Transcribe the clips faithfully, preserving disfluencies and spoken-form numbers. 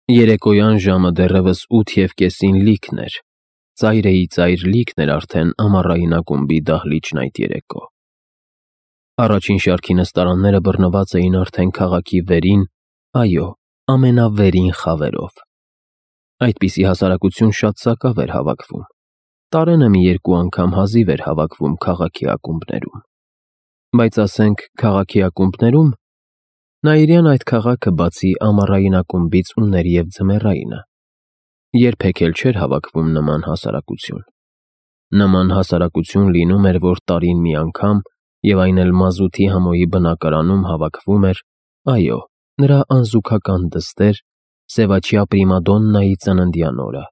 Երեկոյան ժամը դեռևս ութ և կեսին լիքն էր, ծայրեի ծայր լիքն էր արդեն ամառային ակումբի դահլիճն այդ երեկո։ Առաջին շարքի նստարանները բռնված էին արդեն քաղաքի վերին, այո, ամենավերին խավերով։ Այդպիսի հասարակություն շատ սակավ էր հավաքվում, տարենը մի երկու անգամ հազիվ էր հավաքվում քաղաքի ակումբներում, բայց ասենք քաղաքի ակումբներում, Նաիրյան այդ քաղաքը բացի ամառային ակումբից ուներ և ձմեռայինը, երբեք էլ չէր հավաքվում նման հասարակություն։ Նման հասարակություն լինում էր, որ տարին մի անգամ, և այն էլ մազութի համոյի բնակարանում հավաքվում էր, այո, նրա անզուգական դստեր՝ Սևաչյա պրիմադոննայի ծննդյան օրը,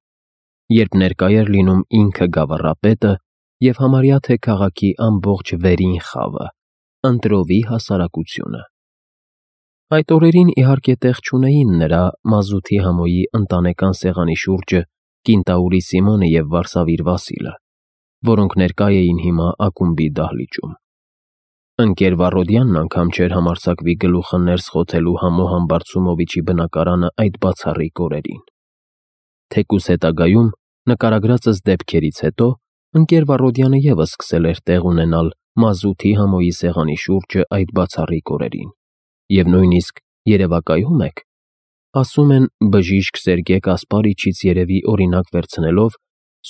երբ ներկա էր լինում ինքը գավառապետը և համարյա թե քաղաքի ամբողջ վերին խավը, ընտրովի հասարակությունը։ Այդ օրերին իհարկե տեղ չունեին նրա մազութի համոյի ընտանեկան սեղանի շուրջը կինտաուրի Սիմոնը և Վարսավիր Վասիլը, որոնք ներկա էին հիմա ակումբի դահլիճում։ Ընկեր Վառոդյանն անգամ չէր համարձակվի գլուխը ներս խոթելու Համո Համբարձումովիչի բնակարանը այդ բացառիկ օրերին։ Թեկուզ հետագայում, նկարագրածս դեպքերից հետո, ընկեր Վառոդյանը ևս սկսել էր տեղ ունենալ մազութի համոյի սեղանի շուրջը այդ բացառիկ օրերին, և նույնիսկ, երևակայո՞ւմ եք, ասում են բժիշկ Սերգե Կասպարիչից երևի օրինակ վերցնելով,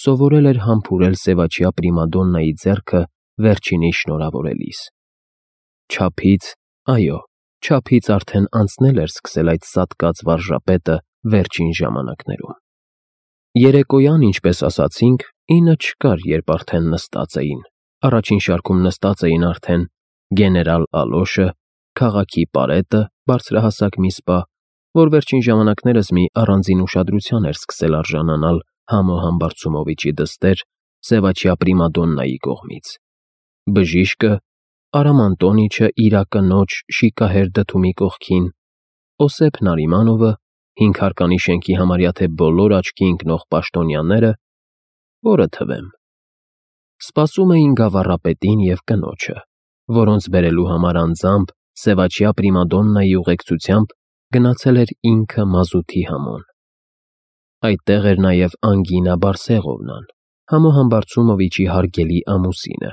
սովորել էր համբուրել Սևաչյա պրիմադոննայի ձեռքը վերջինիս շնորհավորելիս։ Չափից, այո, չափից արդեն անցնել էր սկսել այդ սատկած վարժապետը վերջին ժամանակներում։ Երեկոյան, ինչպես ասացինք, ինը չկար, երբ արդեն նստած էին, առաջին շարքում նստած էին արդեն գեներալ Ալոշը, քաղաքի պարետը, բարձրահասակ մի սպա, որ վերջին ժամանակներս մի առանձին ուշադրության էր սկսել արժանանալ Համո Համբարձումովիչի դստեր Սևաչյա պրիմադոննայի կողմից, բժիշկը, Արամ Անտոնիչը իր կնոջ շիկահեր դդումի կողքին, Օսեփ Նարիմանովը, հինգհարկանի շենքի համարյա թե բոլոր աչքի ընկնող պաշտոնյաները, որը թվեմ, սպասում էին գավառապետին և կնոջը, որոնց բերելու համար անձամբ Սևաչյա պրիմադոննայի ուղեկցությամբ գնացել էր ինքը մազութի համոն։ Այդտեղ էր նաև Անգինա Բարսեղովնան, Համո Համբարձումովիչի հարգելի ամուսինը,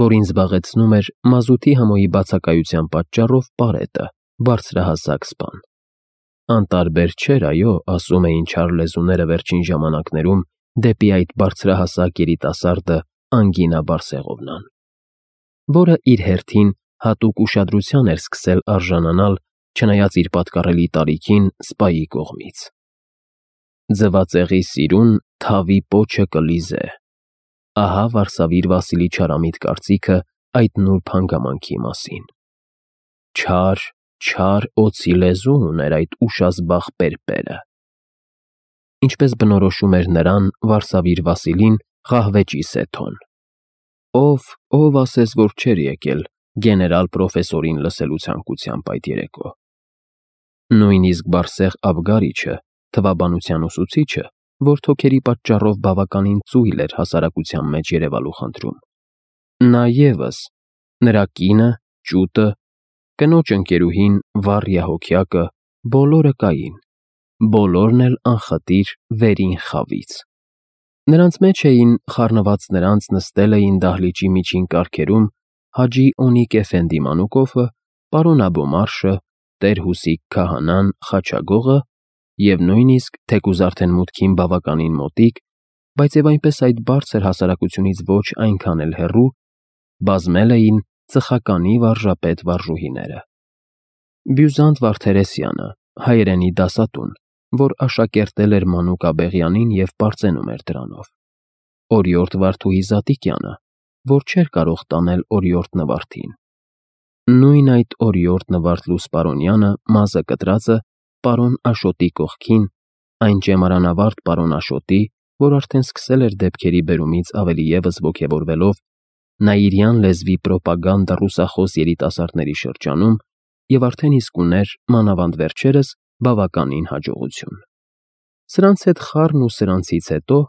որին զբաղեցնում էր մազութի համոյի բացակայության պատճառով պարետը, բարձրահասակ սպան։ Անտարբեր չէր, այո, ասում էին չար լեզուները վերջին ժամանակներում դեպի այդ բարձրահասակ երիտասարդը Անգինա Բարսեղովնան, որը իր հերթին հատուկ ուշադրության էր սկսել արժանանալ, չնայած իր պատկառելի տարիքին, սպայի կողմից։ Ձվածեղի սիրուն թավի պոչը կլիզե։ Ահա Վարսավիր Վասիլի չարամիտ կարծիքը այդ նուրբ հանգամանքի մասին։ Չար, չար օձի լեզու ուներ այդ ուշազբաղ պերպերը։ Ինչպես բնորոշում էր նրան Վարսավիր Վասիլին Ղահվեճի Սեթոն։ Ով, ով ասես, որ չէր եկել գեներալ պրոֆեսորին լսելու ցանկությամբ այդ երեկո։ Նույնիսկ Բարսեղ Աբգարիչը, թվաբանության ուսուցիչը, որ թոքերի պատճառով բավականին ծույլ էր հասարակության մեջ երևալու խնդրում, նա ևս, նրա կինը, ճուտը, կնոջ ընկերուհին, Վառյա Հոգյակը, բոլորը կային, բոլորն էլ անխտիր վերին խավից։ Նրանց մեջ էին, խառնված նրանց, նստել էին դահլիճի միջին կառքերում Հաջի Օնիկ Էֆենդի Մանուկովը, պարոն Աբոմարշը, տեր Հուսիկ քահանան Խաչագողը և նույնիսկ, թեկուզ արդեն մուտքին բավականին մոտիկ, բայց և այնպես այդ բարձր հասարակությունից ոչ այնքան էլ հեռու, բազմել էին ծխականի վարժապետ վարժուհիները։ Բյուզանտ Վարդերեսյանը, հայերենի դասատուն, որ աշակերտել էր Մանուկ Աբեղյանին և պարծենում էր դրանով, Օրիորդ Վարդուհի Զատիկյանը, որ չէր կարող տանել օրիորդ Նվարդին, նույն այդ օրիորդ Նվարդ Լուսպարոնյանը, մազը կտրածը, պարոն Աշոտի կողքին, այն ճեմարանավարդ պարոն Աշոտի, որ արդեն սկսել էր դեպքերի բերումից ավելի ևս ոգևորվելով նաիրյան լեզվի պրոպագանդա ռուսախոս երիտասարդների շրջանում և արդեն իսկ ուներ, մանավանդ վերջերս, բավականին հաջողություն։ Սրանց հետ խառն ու սրանցից հետո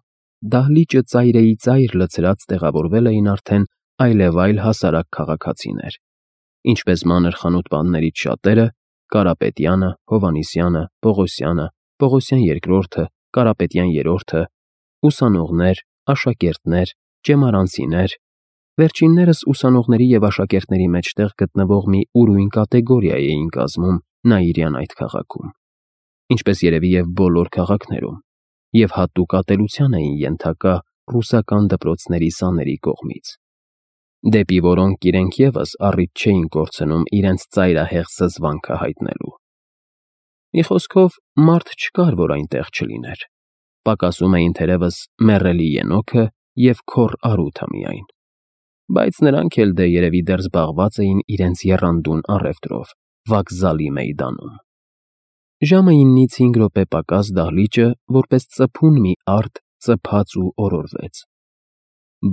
դահլիճը ծայրեի ծայր լցրած տեղավորվել էին արդեն այլևայլ հասարակ քաղաքացիներ, ինչպես մանր խանութպաններից շատերը՝ Կարապետյանը, Հովհաննիսյանը, Պողոսյանը, Պողոսյան երկրորդը, Կարապետյան երրորդը, ուսանողներ, աշակերտներ, ճեմարանցիներ, վերջիններս ուսանողների և աշակերտների մեջտեղ գտնվող մի ուրույն կատեգորիա էին կազմում Նաիրյան այդ քաղաքում, ինչպես երևի և բոլոր քաղաքներում, և հատուկ ատելության էին ենթակա ռուսական դպրոցների սաների կողմից, դեպի որոնք իրենք ևս առիթ չէին կորցնում իրենց ծայրահեղ զզվանքը հայտնելու։ Մի խոսքով, մարդ չկար, որ այնտեղ չլիներ, պակասում էին թերևս մեռելի Ենոքը և քոռ Արութը միայն, բայց նրանք էլ դե երևի դեռ զբաղված էին իրենց եռանդուն առևտրով վокзալի մեյդանում։ Ժամը իննից հինգ րոպե պակաս դահլիճը որպես ծփուն մի արդ ծփաց ու օրորվեց։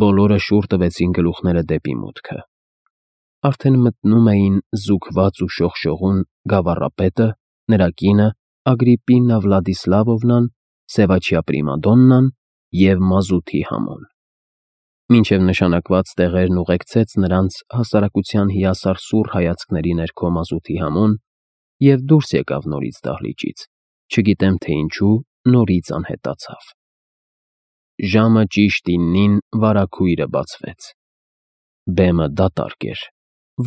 Բոլորը շուռ տվեցին գլուխները դեպի մուտքը։ Արդեն մտնում էին զուգված ու շողշողուն գավառապետը, նրա կինը Ագրիպպինա Վլադիսլավովնան, Սևաչյա Պրիմադոննան և մազութի համոն։ Մինչև նշանակված տեղերն ուղեկցեց նրանց հասարակության հիասար սուռ հայացքների ներքո մազութի համոն և դուրս եկավ նորից դահլիճից, չգիտեմ թե ինչու նորից անհետացավ։ Ժամը ճիշտ իննին վարագույրը բացվեց։ Բեմը դատարկ էր,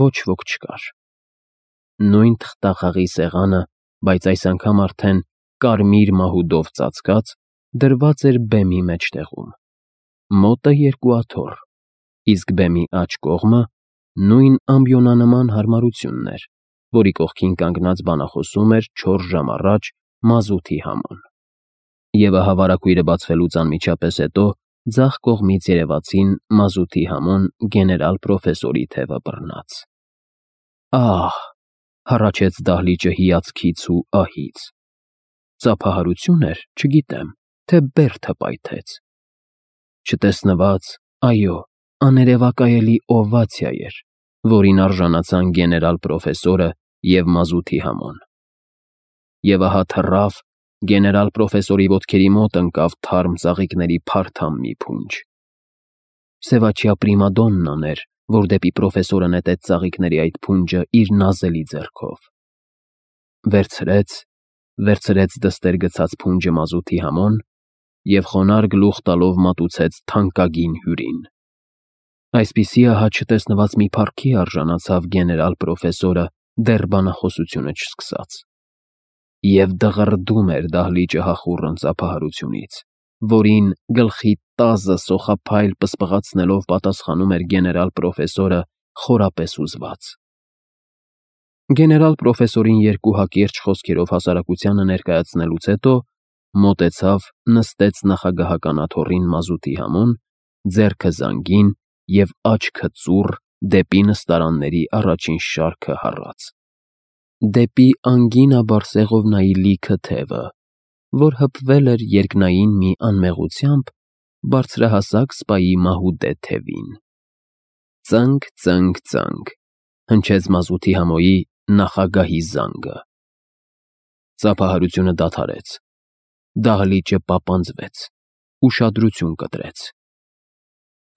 ոչ ոք չկար։ Նույն թղթախաղի սեղանը, բայց այս անգամ արդեն կարմիր մահուդով ծածկած, դրված էր բեմի մեջտեղում, մոտը երկու աթոռ, իսկ բեմի աջ կողմը նույն ամբիոնանման հարմարությունն էր, որի կողքին կանգնած բանախոսում էր չորս ժամ առաջ մազութի համոն։ Եվ ահա վարագույրը բացվելուց անմիջապես հետո ձախ կողմից երևացին մազութի համոն գեներալ֊պրոֆեսորի թևը բռնած։ Ահ, հառաչեց դահլիճը հիացքից ու ահից։ Ծափահարություն էր, չգիտեմ, թե բերդը պայթեց։ Չտեսնված, այո, աներևակայելի օվացիա էր, որին արժանացան գեներալ֊պրոֆեսորը և մազութի համոն։ Եվ ահա թռավ, գեներալ֊պրոֆեսորի ոտքերի մոտ ընկավ թարմ ծաղիկների փարթամ մի փունջ։ Սևաչյա Պրիմադոննան էր, որ դեպի պրոֆեսորը նետեց ծաղիկների այդ փունջը իր նազելի ձեռքով։ Վերցրեց, վերցրեց դստեր գցած փունջը մազութի համոն և խոնարհ գլուխ տալով մատուցեց թանկագին հյուրին։ Այսպիսի ահա չտեսնված մի փառքի արժանացավ գեներալ֊պրոֆեսորը դեռ բանախոսությունը չսկսած։ Եվ դղրդում էր դահլիճը հախուռն ծափահարությունից, որին գլխի տազը սոխափայլ պսպղացնելով պատասխանում էր գեներալ֊պրոֆեսորը խորապես հուզված։ Գեներալ֊պրոֆեսորին երկու հակիրճ խոսքերով հասարակությանը ներկայացնելուց հետո մոտեցավ, նստեց նախագահական աթոռին մազութի համոն, ձեռքը զանգին և աչքը ծուռ դեպի նստարանների առաջին շարքը հառած, դեպի Անգինա Բարսեղովնայի լիքը թևը, որ հպվել էր երկնային մի անմեղությամբ բարձրահասակ սպայի մահուդե թևին։ Ծնկ, ծնկ, ծնկ, հնչեց մազութի համոյի նախագահի զանգը։ Ծափահարությունը դադարեց, դահլիճը պապանձվեց, ուշադրություն կտրեց։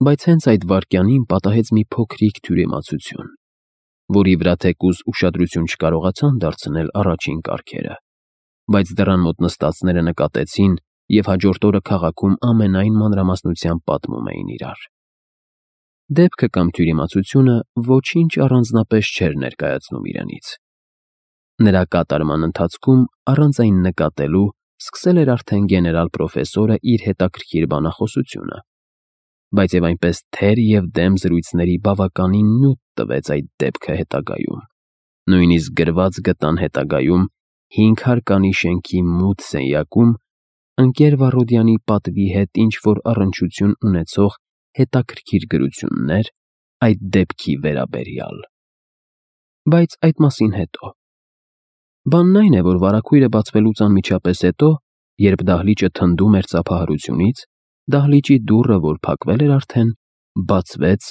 Բայց հենց այդ վայրկյանին պատահեց մի փոքրիկ թյուրիմացություն, որի վրա թեկուզ ուշադրություն չկարողացան դարձնել առաջին կարգերը, բայց դռան մոտ նստածները նկատեցին և հաջորդ օրը քաղաքում ամենայն մանրամասնությամբ պատմում էին իրար։ Դեպքը կամ թյուրիմացությունը ոչինչ առանձնապես չէր ներկայացնում իրենից։ Նրա կատարման ընթացքում, առանց այն նկատելու, սկսել էր արդեն գեներալ֊պրոֆեսորը իր հետաքրքիր բանախոսությունը, բայց և այնպես թեր և դեմ զրույցների բավականին նյութ տվեց այդ դեպքը հետագայում, նույնիսկ գրված գտան հետագայում հինգ հարկանի շենքի մութ սենյակում ընկեր Վառոդյանի պատվի հետ ինչ-որ առնչություն ունեցող հետաքրքիր գրություններ այդ դեպքի վերաբերյալ։ Բայց այդ մասին հետո։ Բանն այն է, որ վարագույրը բացվելուց անմիջապես հետո, երբ դահլիճը թնդում էր ծափահարությունից, դահլիճի դուռը, որ փակվել էր արդեն, բացվեց,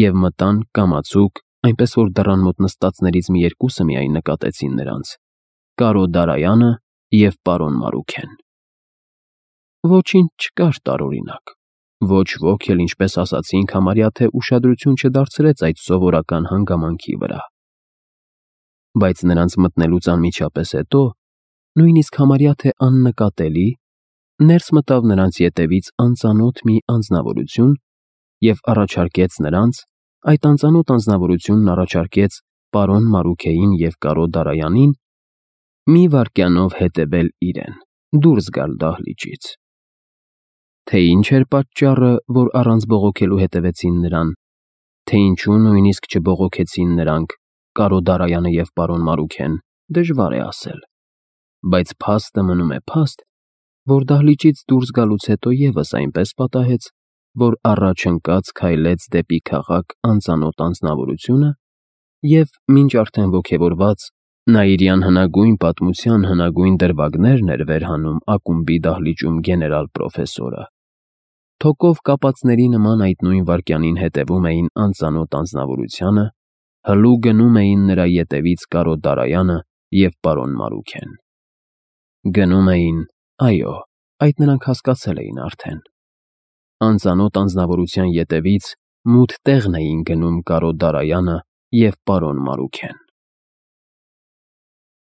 և մտան կամացուկ, այնպես որ դռան մոտ նստածներից մի երկուսը միայն նկատեցին նրանց, Կարո Դարայանը և պարոն Մարուքեն։ Ոչինչ չկար տարօրինակ, ոչ ոք էլ, ինչպես ասացինք, համարյա թե ուշադրություն չդարձրեց այդ սովորական հանգամանքի վրա։ Բայց նրանց մտնելուց անմիջապես հետո նույնիսկ համարյա թե աննկատելի, ներս մտավ նրանց ետևից անծանոթ մի անձնավորություն և առաջարկեց նրանց, այդ անծանոթ անձնավորությունն առաջարկեց պարոն Մարուքեին և կարո Դարայանին մի վայրկյանով հետևել իրեն, դուրս գալ դահլիճից։ Թե ինչ էր պատճառը, որ առանց բողոքելու հետևեցին նրան, թե ինչու նույնիսկ չբողոքեցին նրանք, կարո Դարայանը և պարոն Մարուքեն, դժվար է ասել, բայց փաստը մնում է փաստ, որ դահլիճից դուրս գալուց հետո ևս այնպես պատահեց, որ առաջ ընկած քայլեց դեպի քաղաք անծանոթ անձնավորությունը և, մինչ արդեն ոգևորված, նա իր հնագույն պատմության հնագույն դրվագներն էր վերհանում ակումբի դահլիճում գեներալ֊պրոֆեսորը, թոկով կապածների նման այդ նույն վայրկյանին հետևում էին անծանոթ անձնավորությանը, հլու գնում էին նրա ետևից կարո Դարայանը և պարոն Մարուքեն։ Գնում էին, այո, այդ նրանք հասկացել էին արդեն։ Անծանոթ անձնավորության ետևից մութ տեղն էին գնում կարո Դարայանը և պարոն Մարուքեն։